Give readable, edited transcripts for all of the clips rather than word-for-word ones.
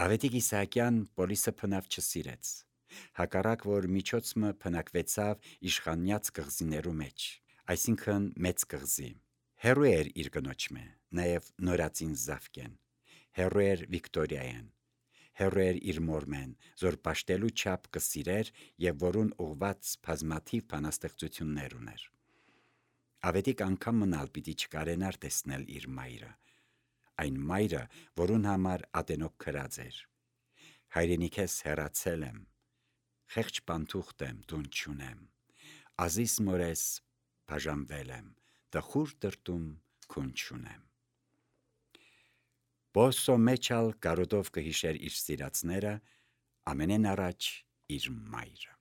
Ավետիք Իսահակյան Պոլիսը փնավ չսիրեց, հակառակ որ միջոցը փնակվեցավ իշխանյաց կղզիներու մեջ, այսինքն մեծ կղզի, հերու էր իր կնոջմե, նաև նորածին Զավկեն, հերու էր Վիկտորիայեն, հերու էր իր մորմեն, զոր պաշտելու չափ կսիրեր և որուն ուղված բազմաթիվ բանաստեղծություններ ուներ։ Ավետիք անգամ մնալ պիտի չկարենար տեսնել իր մայրը, այն մայրը, որուն համար ատենոք քրած էր։ Հայրենիքես հեռացել եմ, խեղճ պանթուղթ եմ, տուն չունեմ, ազիս մորես բաժանվել եմ, տխուր տրտում քուն չունեմ։ Բոսո մեջալ կարոտով կհիշեր իր սիրածները, ամենեն առաջ իր մայրը։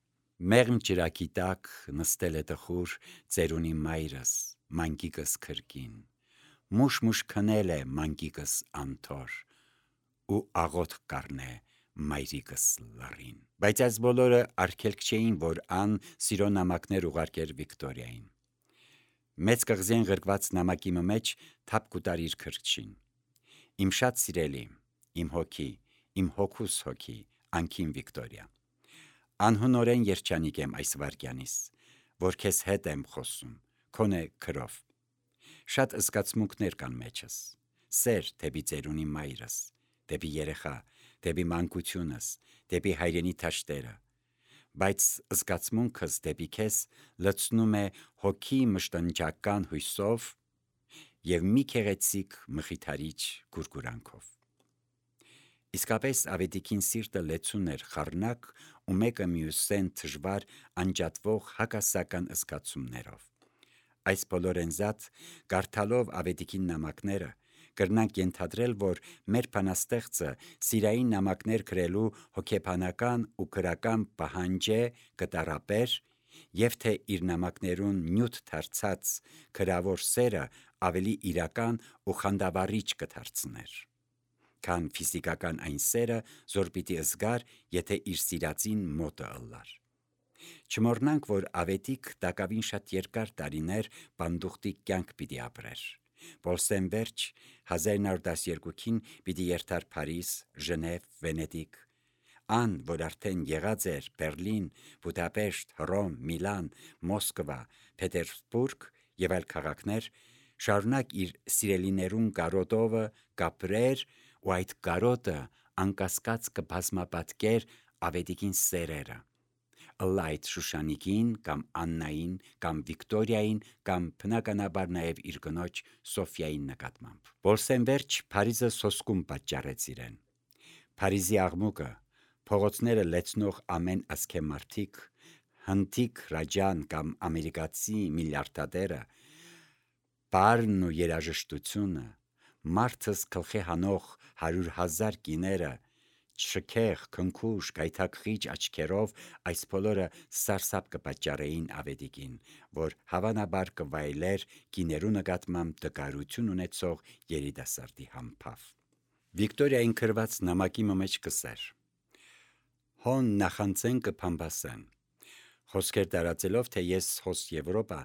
Մեղմ ջրակի տակ նստել է տխուր ծերունի մայրս, մանկիկս քրկին, մուշ քնել է մանկիկս անթոր, ու աղոթք կառնե մայրիկս լռին։ Բայց այս բոլորը արգելք չէին, որ ան սիրո նամակներ ուղարկեր Վիկտորիային։ Մեծ կղզին գրկված նամակի մեջ թափ կուտար իր քրքշին։ Իմ շատ սիրելի, իմ հոգի, իմ հոգուս հոգի, անքին Վիկտորիա, անհնորեն երջանիկ եմ այս վարկյանիս, որ քեզ հետ եմ խոսում, քոնե քրով։ Շատ զգացմունքներ կան մեջս, սեր դեպի ծերունի մայրս, դեպի երեխա, դեպի մանկությունս, դեպի հայրենի թաշտերը, բայց զգացմունքս դեպի քեզ լցնում է հոգի մշտնջական հույսով և մի քեղեցիկ մխիթարիչ գուրգուրանքով։ Իսկապես ավետիքին սիրտը լեցուն էր խառնակ ու մեկը մյուսեն թժվար անջատվող հակասական զգացումներով։ Այս բոլորեն զատ, կարդալով ավետիքին նամակները, կրնանք ենթադրել, որ մեր բանաստեղծը սիրային նամակներ գրելու հոգեբանական ու գրական պահանջ կտարապեր և թե իր նամակներուն նյութ դարձած գրավոր սերը ավելի իրական ու խանդավառիչ կդարձներ, քան ֆիզիկական այն սերը, զոր պիտի զգար, եթե իր սիրածին մոտը ըլլար։ Չմոռնանք, որ ավետիք տակավին շատ երկար տարիներ պանդուխտի կյանք պիտի ապրեր։ Պոլսեն վերջ 1912-ին պիտի երթար Փարիզ, Ժնև, Վենետիկ, ան, որ արդեն եղած էր Բերլին, Բուդապեշտ, Հռոմ, Միլան, Մոսկվա, Պետերսբուրգ և այլ քաղաքներ, շարունակ իր սիրելիներուն կարոտովը կապրեր ու այդ կարոտը անկասկած կբազմապատկեր ավետիքին սերերը, ըլլա այդ Շուշանիկին կամ Աննային կամ Վիկտորիային կամ բնականաբար նաև իր կնոջ Սոֆիային նկատմամբ։ Պոլսեն վերջ Փարիզը սոսկում պատճառեց իրեն։ Փարիզի աղմուկը, փողոցները լեցնող ամեն ասքեմարտիկ, հնդիկ Ռաջան կամ ամերիկացի միլիարդատերը, պարն ու երաժշտությունը, մարդս գլխի հանող 100,000 կիները, շքեղ, քնքուշ, գայթակղիչ աչքերով այս բոլորը սարսափ կպատճառեին ավետիքին, որ հավանաբար կվայելեր կիներու նկատմամբ տկարություն ունեցող երիտասարդի համբավ։ Վիկտորիային գրված նամակի մեջ կսեր. հոն նախանձեն կփամբասեն, խոսքեր տարածելով, թե ես հոս Եվրոպա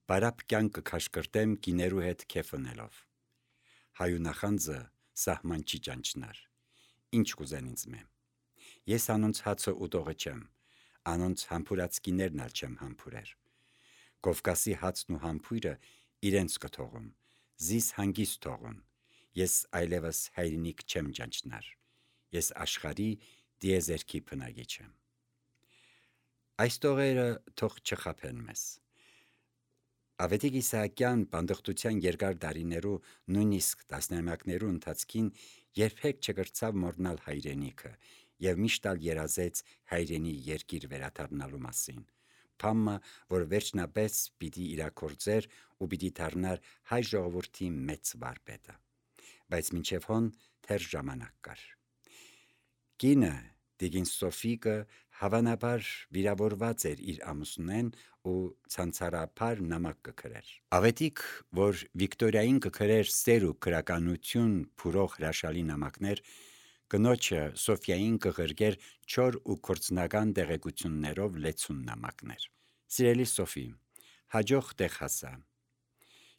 բարապ կյանք կքաշկրտեմ կիներու հետ քեֆնելով։ Հայու նախանձը սահման չի ճանչնար, ինչ կուզեն ինձ մե։ Ես անոնց հացը ուտողը չեմ, անոնց համբուրած կիներն ալ չեմ համբուրեր։ Կովկասի հացն ու համբույրը իրենց կթողում, զիս հանգիստ թողուն, ես այլևս հայրենիք չեմ ճանչնար, ես աշխարհի դիեզերքի բնագիչ եմ։ Այս տողերը թող չխաբեն մեզ։ Ավետիք Իսահակյան բանդխտության երկար դարիներու, նույնիսկ տասնամյակներու ընթացքին երբեք չկրծավ մոռնալ հայրենիքը և միշտ ալ երազեց հայրենի երկիր վերադառնալու մասին, բամը, որ վերջնապես պիտի իրագործեր ու պիտի դառնար հայ ժողովրդի մեծ վարպետը, բայց մինչև հոն թեր ժամանակ կար։ Կինը Տիկին Սոֆիկը հավանաբար վիրավորված էր իր ամուսնեն ու ցանցարաբար նամակ կգրեր։ Ավետիք, որ Վիկտորիային կգրեր սեր ու գրականություն փուրող հրաշալի նամակներ, կնոջը Սոֆիային կղրգեր չոր ու կորցնական տեղեկություններով լեցուն նամակներ։ Սիրելի Սոֆի, հաջող տեղ հասա։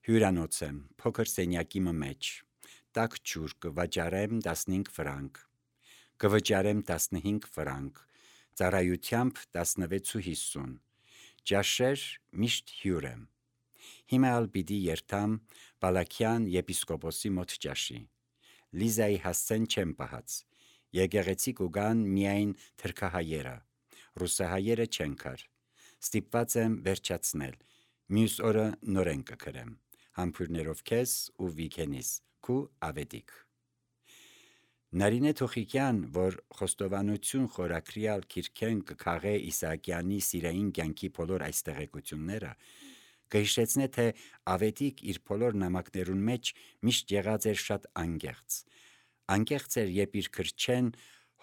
Հյուրանոց եմ, փոքր սենյակի մեջ, տաք ջուր կվաճառեմ 15 ֆրանկ։ կվճարեմ 15 ֆրանկ, ծառայությամբ 16.50, ճաշեր միշտ հյուր եմ։ Հիմա ալ պիտի երթամ Բալաքյան եպիսկոպոսի մոտ ճաշի։ Լիզայի հասցեն չեմ պահած, եկեղեցի կուգան միայն թրքահայերը, ռուսահայերը չեն կար, ստիպված եմ վերջացնել, մյուս օրը նորեն կքրեմ, համբույրներով քեզ ու Վիգենիս, քու ավետիք։ Նարինե Թոխիկյան, որ խոստովանություն խորակրիալ քիրքեն կքաղե Իսահակյանի սիրային կյանքի բոլոր այս տեղեկությունները, կհիշեցնե, թե ավետիք իր բոլոր նամակներուն մեջ միշտ եղած էր շատ անգեղծ էր, երբ իր քրչեն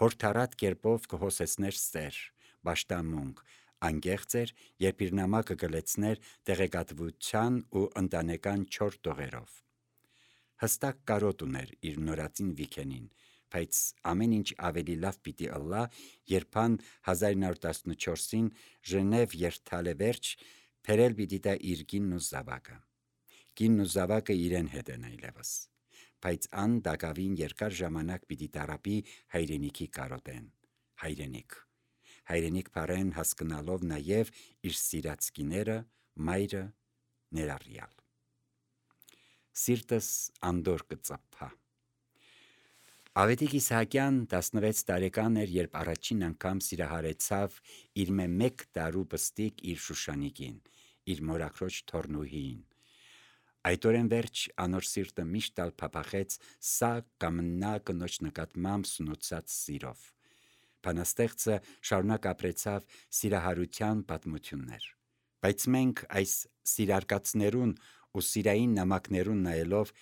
հորթառատ կերպով կհոսեցներ ստեր, պաշտամունք, անգեղծ էր, երբ իր նամակը կլեցներ տեղեկատվության ու ընտանեկան չոր տողերով։ Հստակ կարոտ ուներ իր նորածին Վիգենին, բայց ամեն ինչ ավելի լավ պիտի ըլլա, երբան 1914-ին Ժնև երթալե վերջ փերել պիտի տա իր կինն ու զավակը։ Կինն ու զավակը իրեն հետ են այլևս, բայց ան դակավին երկար ժամանակ պիտի տարապի հայրենիքի կարոտեն, հայրենիք բառեն հասկնալով նաև իր սիրած կիները, մայրը ներառյալ։ Սիրտս անդոր կծափա։ Ավետիք Իսահակյան 16 տարեկան էր, երբ առաջին անգամ սիրահարեցավ իր մեկ տարու պստիկ իր Շուշանիկին, իր մորաքրոջ թորնուհին։ Այդ օրեն վերջ անոր սիրտը միշտ ալ փափախեց սա կամ նա կնոջ նկատմամբ սնուցած սիրով։ Բանաստեղծը շարունակ ապրեցավ սիրահարության պատմություններ։ Բայց մենք այս սիրարկածներուն ու սիրային նամակներուն նայելով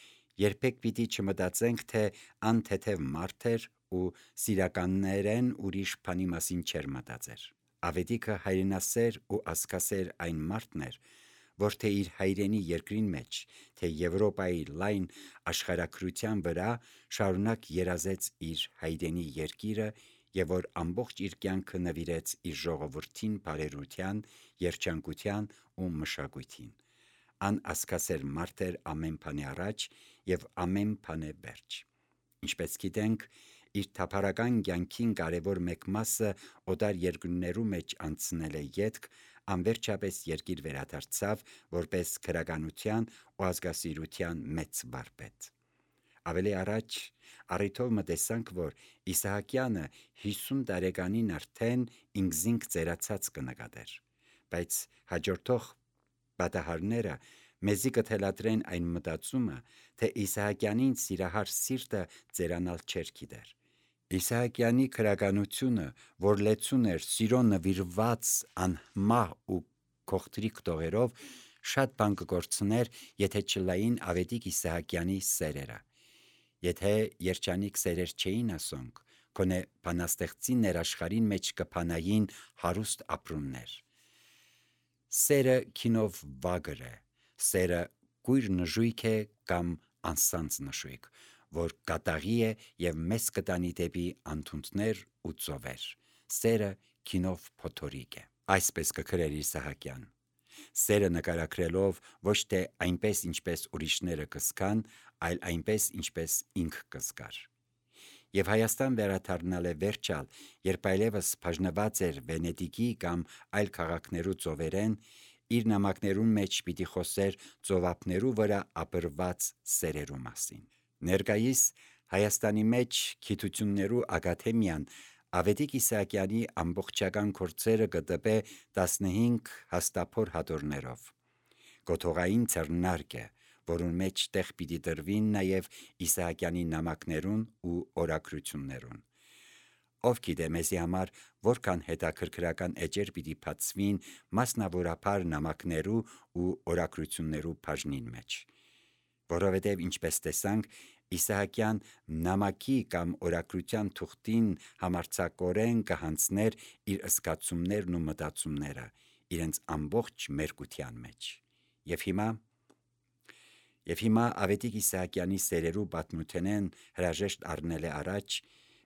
երբեք պիտի չմտածենք, թե ան թեթև մարդ էր ու սիրականներեն ուրիշ բանի մասին չէր մտածեր։ Ավետիքը հայրենասեր ու ազգասեր այն մարդն էր, որ թե իր հայրենի երկրին մեջ, թե Եվրոպայի լայն աշխարհակրթության վրա շարունակ երազեց իր հայրենի երկիրը եւ որ ամբողջ իր կյանքը նվիրեց իր ժողովրդին բարերության, երջանկության ու մշակույթին։ Ան ազգասեր մարդ էր ամեն բանի առաջ եւ ամեն բանի վերջ։ Ինչպես գիտենք, իր թափառական կյանքին կարևոր մեկ մասը օտար երկրներու մեջ անցնել է ետք, անվերջապես երկիր վերադարձավ որպես քրագանության ու ազգասիրության մեծ վարպետ։ Ավելի առաջ առիթով մտեսանք, որ Իսահակյանը 50 տարեկանին արդեն ինքզինք ծերացած կնկատեր, բայց հաջորդող պատահարները մեզի կթելադրեն այն մտածումը, թե Իսահակյանին սիրահար սիրտը ծերանալ չէր գիտեր։ Իսահակյանի քրագանությունը, որ լեցուն էր սիրո նվիրված անմահ ու քողտրիկ տողերով, շատ բան կկորցներ, եթե չլային Ավետիք Իսահակյանի սերերը։ Եթե երջանիկ սերեր չէին ասոնք, գոնե բանաստեղծի ներաշխարին մեջ կփանային հարուստ ապրումներ։ Սերը քինով վագր է, սերը կույր նժույգ է կամ անսանձ նժույգ, որ կատաղի է եւ մեզ կտանի դեպի անթունդներ ու ծովեր։ Սերը քինով փոթորիկ է։ Այսպես կգրեր Իսահակյան։ Սերը նկարագրելով ոչ թե այնպես, ինչպես ուրիշները կզգան, այլ այնպես, ինչպես ինք կզգար։ Եվ Հայաստան վերադառնալ է վերջալ, երբ այլևս բաժնված էր Վենետիկի կամ այլ քաղաքներու ծովերեն, իր նամակներուն մեջ պիտի խոսեր ծովափներու վրա ապրված սերերու մասին։ Ներկայիս Հայաստանի մեջ գիտություններու ակադեմիան Ավետիք Իսահակյանի ամբողջական գործերը կտպե 15 հաստափոր հատորներով։ Գոթողային ձեռնարկ է, որուն մեջ տեղ պիտի տրվին նաև Իսահակյանի նամակներուն ու օրագրություններուն։ Ով գիտե մեզի համար որքան հետաքրքրական էջեր պիտի բացվին մասնավորապես նամակներու ու օրագրություններու բաժնին մեջ։ Որովհետև ինչպես տեսանք, Իսահակյան նամակի կամ օրագրության թուղթին համարձակորեն կհանձներ իր զգացումներն ու մտածումները իրենց ամբողջ մերկության մեջ։ Եվ հիմա Ավետիք Իսահակյանի սերերու պատմութենեն հրաժեշտ առնել է առաջ,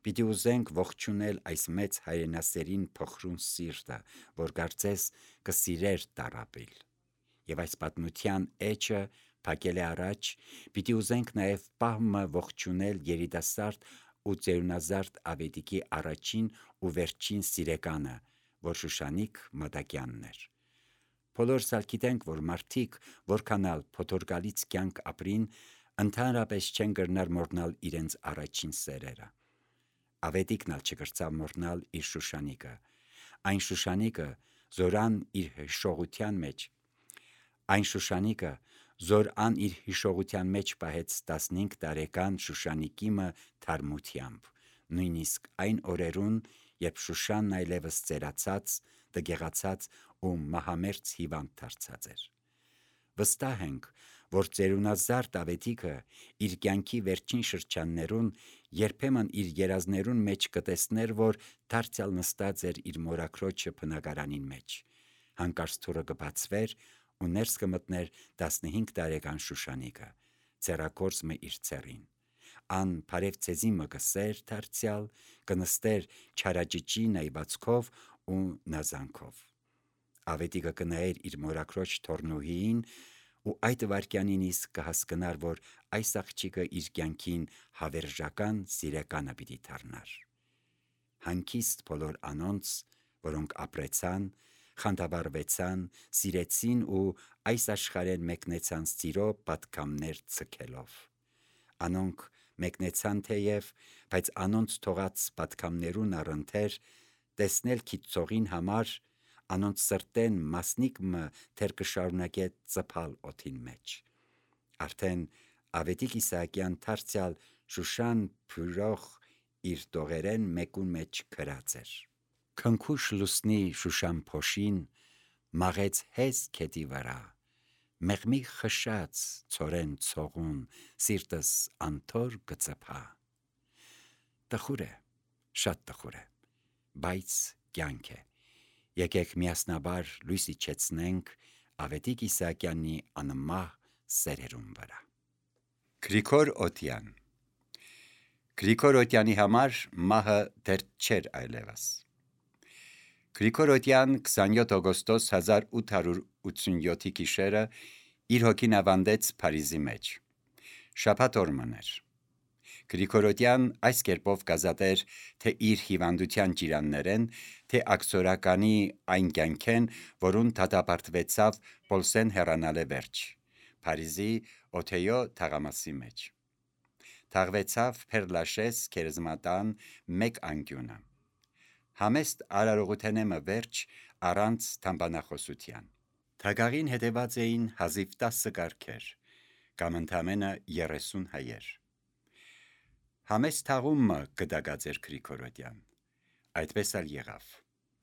պիտի ուզենք ողջունել այս մեծ հայրենասերին փխրուն սիրտը, որ կարծես կսիրեր տարապիլ։ Եվ այս պատմության էջը փակել է առաջ, պիտի ուզենք նաև պահմը ողջունել երիտասարդ ու ծերունազարդ Ավետիքի առաջին ու վերջին սիրեկանը, որ Շուշանիկ Մատակյանն էր։ Բոլորս ալ գիտենք, որ մարդիկ, որքանալ փոթորկալից կյանք ապրին, ընդհանրապես չեն կրնար մոռնալ իրենց առաջին սերերը։ Ավետիքն ալ չկրծավ մոռնալ իր Շուշանիկը, այն Շուշանիկը, զորան իր հիշողության մեջ պահեց 15 տարեկան Շուշանիկիմը թարմությամբ, նույնիսկ այն օրերուն, երբ Շուշանն այլևս ծերացած, դգեղացած ու մահամերձ հիվանդ դարձած էր։ Վստահ ենք, որ ծերունազարդ Ավետիքը իր կյանքի վերջին շրջաններուն երբեմն իր երազներուն մեջ կտեսներ, որ դարձյալ նստած էր իր մորաքրոջը բնակարանին մեջ, հանկարծ թուրը կբացվեր ու ներս կմտներ 15 տարեկան Շուշանիկը, ձեռագործը իր ցերին, ան բարև ցեզի մը կսեր դարձյալ, կնստեր չարաճճի նայվածքով ու նազանքով։ Ավետիքը կնայեր իր մորաքրոջ թորնուհիին ու այդ վարքյանին իսկ կհասկնար, որ այս աղջիկը իր կյանքին հավերժական սիրեկանը պիտի դառնար։ Հանգիստ բոլոր անոնց, որոնք ապրեցան, խանդավառվեցան, սիրեցին ու այս աշխարհեն մեկնեցան սիրո պատգամներ ցկելով։ Անոնք մեկնեցան թեև, բայց անոնց թողած պատգամներուն առընթեր տեսնել քիծողին համար անոնց սրտեն մասնիկ մը թեր կշարունակե ծփալ օդին մեջ։ Արդեն Ավետիք Իսահակյան դարձյալ Շուշան փյուրող իր տողերեն մեկուն մեջ գրած էր. Քնքուշ լուսնի Շուշան փոշին մաղեց հեզ քետի վրա, մեղմի խշած ցորեն ցողուն սիրտս անթոր կծփա։ Տխուր է, շատ տխուր է, բայց կյանք է։ Եկեք միասնաբար լույս իջեցնենք Ավետիք Իսահակյանի անմահ սերերուն վրա։ Գրիգոր Օտյան Գրիգոր Օտյանի համար մահը դեռ չէր այլևս։ Գրիգոր Օտյան 27 օգոստոս 1887 գիշերը իր հոգին ավանդեց Փարիզի մեջ։ Շաբաթ օր մներ։ Գրիգոր Օտյան այս կերպով կազատեր թե իր հիվանդության ճիրաններեն, թե ակսորականի այն կյանքեն, որուն դատապարտվեցավ Պոլսեն հեռանալե վերջ, Փարիզի Օթեյո թաղամասի մեջ։ Թաղվեցավ Փերլաշես քերզմատան մեկ անկյունը։ Համեստ արարողութենեմը վերջ առանց թամբանախոսության։ Թագաղին հետևած էին հազիվ 10 կառքեր, կամ ընդամենը 30 հայեր։ Համեստ թաղումը կդագած էր Գրիգոր Օտյան, այդպես ալ եղավ,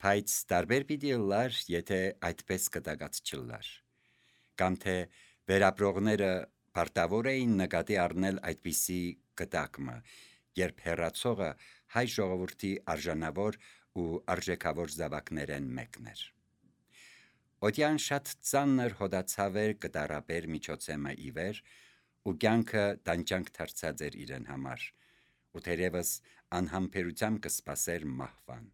բայց տարբեր պիտի լար, եթե այդպես կդագած չլար, կամ թե վերապրողները պարտավոր էին նկատի առնել այդպիսի կտակը, երբ հեռացողը հայ ժողովրդի արժանավոր ու արժեքավոր զավակներեն մեկն էր։ Օտյան շատ ծանր հոդացավ էր կտարաբեր միջոցեմը ի վեր, ու կյանքը տանջանք դարձած էր իրեն համար, ու թերևս անհամբերությամբ կսպասեր մահվան։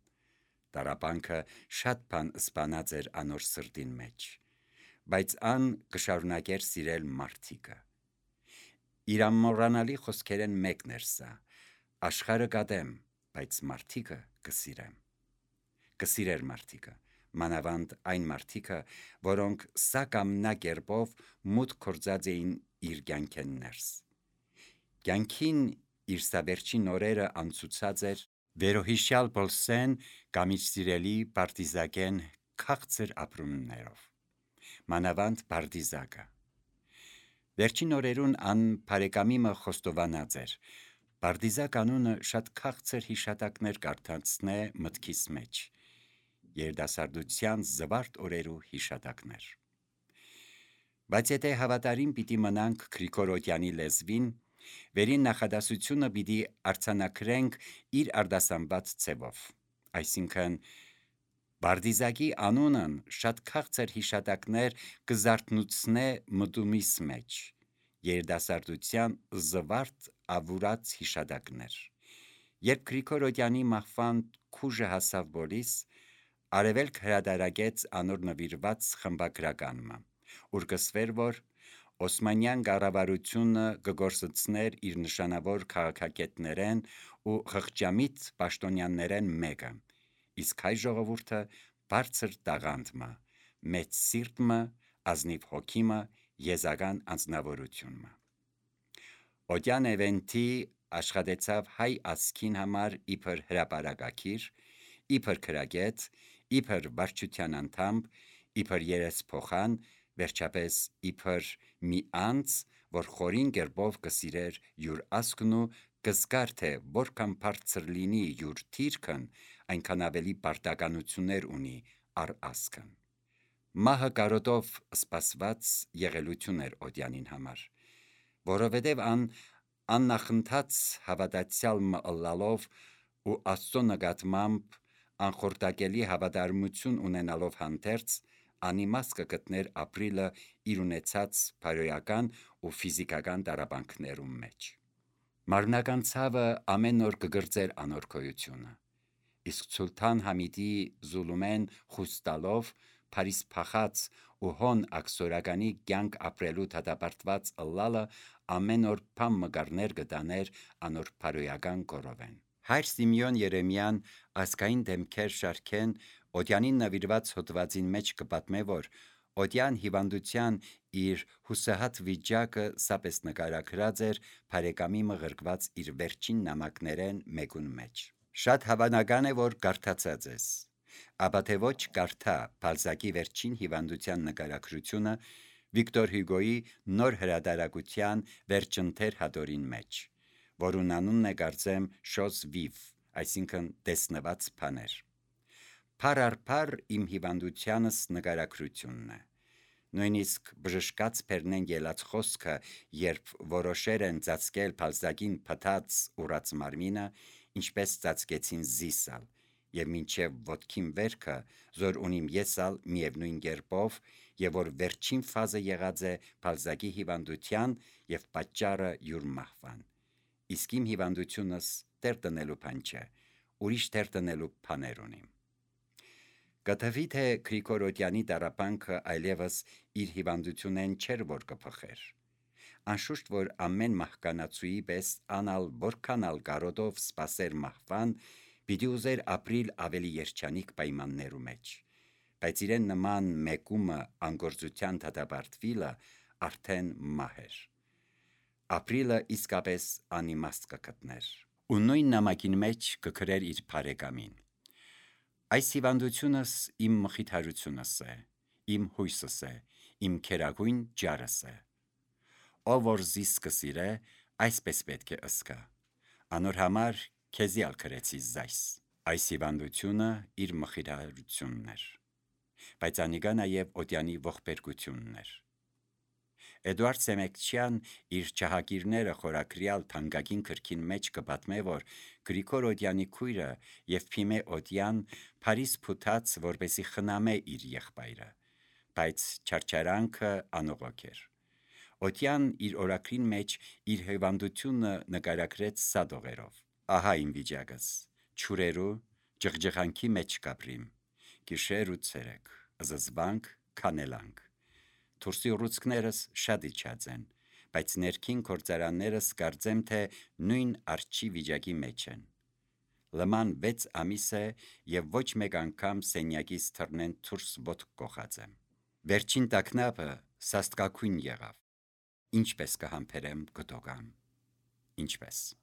Տարապանքը շատ բան սպանած էր անոր սրտին մեջ, բայց ան կշարունակեր սիրել մարդիկը։ Իր ամոռանալի խոսքերեն մեկն էր սա. աշխարհը կատեմ, բայց մարդիկը կսիրեմ։ Կսիրեր մարդիկը, մանավանդ այն մարդիկը, որոնք սա կամ նա կերպով մուտք գործած էին իր կյանքեն ներս։ Կյանքին իր սա վերջին օրերը անցուցած էր վերոհիշյալ Պոլսեն կամ իր սիրելի Պարտիզակեն քաղցր ապրումներով, մանավանդ Պարտիզակը։ Վերջին օրերուն ան բարեկամիմը խոստովանած էր. Պարտիզակ անունը շատ քաղցր հիշատակներ կարդացնե մտքիս մեջ, երիտասարդության զվարթ օրերու հիշատակներ։ Բայց եթե հավատարիմ պիտի մնանք Գրիգոր Օտյանի լեզվին, վերին նախադասությունը պիտի արձանագրենք իր արտասանված ձևով, այսինքն Պարտիզակի անունն շատ քաղցր հիշատակներ կզարթնուցնե մտումիս մեջ, երիտասարդության զվարթ ավուրած հիշատակներ։ Երբ Գրիգոր Օտյանի մահվան քուժը հասավ բոլիս, Արևելք հրադարագեց անոր նվիրված խմբագրականը, ուր կսվեր, որ Օսմանյան կառավարությունը կգործեցներ իր նշանավոր քաղաքակետներեն ու խղճամիտ պաշտոնյաներեն մեկը, իսկ հայ ժողովուրդը բարձր տաղանդմը, մեծ սիրտմը, ազնիվ հոգիմը, եզական անձնավորությունմը։ Օդյան էվենթի աշխատեցավ հայ ազգին համար իբր հրապարակագիր, իբր քրագետ, իբր վարչության անդամ, իբր երեսփոխան, վերջապես իբր մի անձ, որ խորին կերպով կսիրեր յուր ազգն ու կզգար թե որքան բարձր լինի յուր թիրքն, այնքան ավելի պարտականություններ ունի առ ազգն։ Մահը կարոտով սպասված եղելություն էր Օդյանին համար, որովհետև աննախընթաց հավատացյալ մըլլալով ու Աստծո նկատմամբ անխորտակելի հավատարմություն ունենալով հանդերձ, անիմաստ կգտներ ապրիլը իր ունեցած բարոյական ու ֆիզիկական տառապանքներում մեջ։ Մարմնական ցավը ամեն օր կգրծեր անոր գոյությունը, իսկ Սուլթան Համիդի Զուլումեն խուստալով Փարիս փախած ու հոն աքսորականի կյանք ապրելու դատապարտված ըլլալը ամեն օր փամ մկարներ կտաներ անոր բարոյական կորովեն։ Հայր Սիմեոն Երեմյան ազգային դեմքեր շարքեն Օդյանին նվիրված հոդվածին մեջ կպատմե, որ Օդյան հիվանդության իր հուսահատ վիճակը սապես նկարագրած էր բարեկամի մղրկված իր վերջին նամակներեն մեկուն մեջ։ Շատ հավանական է, որ կարդացած ես, ապա թե ոչ կարդա Բալզակի վերջին հիվանդության նկարագրությունը Վիկտոր Հյուգոյի նոր հրատարակության վերջընթեր հատորին մեջ, որուն անունն է կարծեմ «Chose vive», այսինքն տեսնված բաներ։ Փար առ փար իմ հիվանդությանս նկարագրությունն է։ Նույնիսկ բժշկած բերնեն ելած խոսքը, երբ որոշեր են ծածկել Բալզակին փտած ուռած մարմինը, ինչպես ծածկեցին զիսալ, եւ մինչև ոտքին վերքը, զոր ունիմ եսալ միևնույն կերպով, եւ որ վերջին ֆազը եղած է Բալզակի հիվանդության եւ պատճառը յուր մահվան։ Իսկ իմ հիվանդությունս տեր տնելու բան չէ, ուրիշ տեր տնելու բաներ ունիմ։ Կթվի թե Գրիգոր Օդյանի տառապանքը այլևս իր հիվանդությունեն չէր, որ կփխեր։ Անշուշտ, որ ամեն մահկանացուի պես անալ որքանալ կարոտով սպասեր մահվան, պիտի ուզեր ապրիլ ավելի երջանիկ պայմաններու մեջ, բայց իրեն նման մեկումը անգործության դատապարտվիլը արդեն մահ էր։ Ապրիլը իսկապես անիմաստ կգտներ, ու նույն նամակին մեջ կգրեր իր բարեկամին. այս հիվանդությունս իմ մխիթարությունս է, իմ հույսս է, իմ քերագույն ջարս է։ Ով որ զիս կսիրե, այսպես պետք է ըսկա, անոր համար քեզի ալ գրեցի զայս։ Այս հիվանդությունը իր մխիթարությունն էր, բայց անիկա նաև Օդյանի ողբերգությունն էր։ Էդուարդ Սեմեկչյան իր «Չահագիրները» խորագրյալ թանկագին գրքին մեջ կպատմե, որ Գրիգոր Օդյանի քույրը Եվփիմե Օդյան Փարիզ փութած, որպեսի խնամե իր եղբայրը, բայց չարչարանքը անողոք էր։ Օդյան իր օրագրին մեջ իր հիվանդությունը նկարագրեց սադողերով. «Ահա իմ վիճակս, չուրերու ջղջղանքի մեջ կապրիմ, գիշեր ու ցերեկ, զզվանք, քանելանք։ Դուրսի ուռուցքներս շատ իջած են, բայց ներքին գործարաններս կարծեմ, թե նույն արջի վիճակի մեջ են։ Լման 6 ամիս է եւ ոչ մեկ անգամ սենյակից թռնեն դուրս ոտք կոխած եմ։ Վերջին տագնապը սաստկակույն եղավ։ Ինչպես կհամբերեմ գտոգան, ինչպես»։